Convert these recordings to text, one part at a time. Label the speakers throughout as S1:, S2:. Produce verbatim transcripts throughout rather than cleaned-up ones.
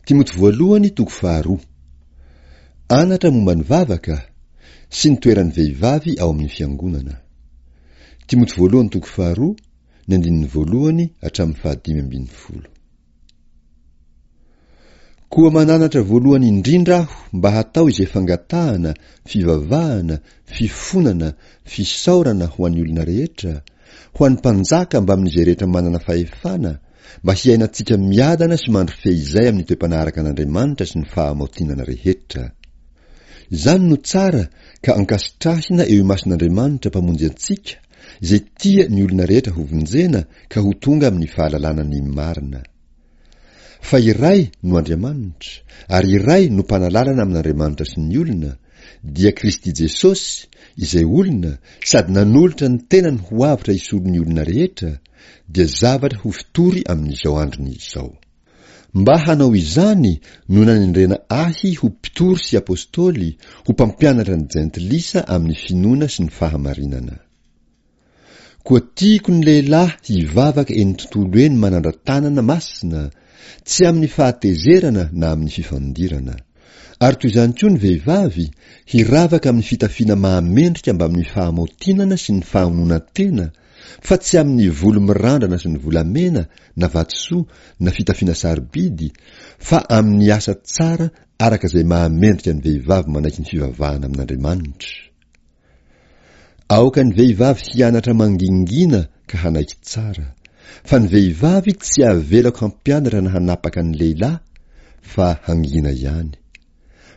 S1: Timoty voalohany toko faharoa. Anatra momba ny vavaka sy ny toeran'ny vehivavy ao amin'ny fiangonana. Timoty voalohany toko faharoa, ny andininy voalohany hatramin'ny fahadimy ambin'ny folo. Koa mananatra voalohany indrindra aho mba hatao izay fangatahana, fivavahana, fifonana, fisaorana ho an'ny olona rehetra, ho an'ny mpanjaka mbamin'izay rehetra manana fahefana, mba hiainantsika miadana sy mandry fehizay amin'ny toe-panaraka an'Andriamanitra sy ny fahamaotinana rehetra. Izany no tsara ka ankasitrahina eo imason'Andriamanitra mpamonjy antsika, izay tia ny olona rehetra hovonjena ka ho tonga amin'ny fahalalana ny marina. Fa iray no Andriamanitra, ary iray no mpanalalana amin'Andriamanitra sy ny olona, dia Kristy Jesosy, izay olona, sady nanolotra ny tenany ho avotra hisolo ny olona rehetra, dia zavatra ho fitory amin'izao androny izao. Mba hanao izany no nanendrena ahy ho mpitory sy apôstôly, ho mpampianatra ny jentilisa amin'ny finoana sy ny fahamarinana. Koa tiako ny lehilahy hivavaka eny tontolo eny manandra-tanana masina, tsy amin'ny fahatezerana na amin'ny fifandirana. Ary toy izany koa ny vehivavy, hiravaka amin'ny fitafiana mahamendrika mbamin'ny fahamaotinana sy ny fahononan-tena, fa tsy amin'ny volo mirandrana sy ny volamena na vatosoa na fitafiana sarobidy, fa amin'ny asa tsara araka izay mahamendrika ny vehivavy manaiky ny fivavahana amin'Andriamanitra. Aoka ny vehivavy hianatra mangingina ka hanaiky tsara, fa ny vehivavy tsy avelako hampianatra na hanapaka ny lehilahy, fa hangina ihany.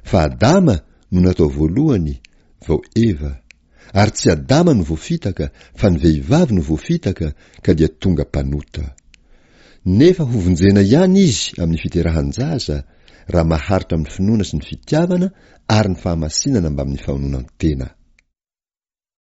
S1: Fa Adama no natao voalohany, vao Eva. Ary tsy Adama no voafitaka, fa ny vehivavy no voafitaka, ka dia tonga mpanota. Nefa hovonjena ihany izy amin'ny fiterahan-jaza, raha maharitra amin'ny finoana sy ny fitiavana ary ny fahamasinana mbamin'ny fahononan-tena.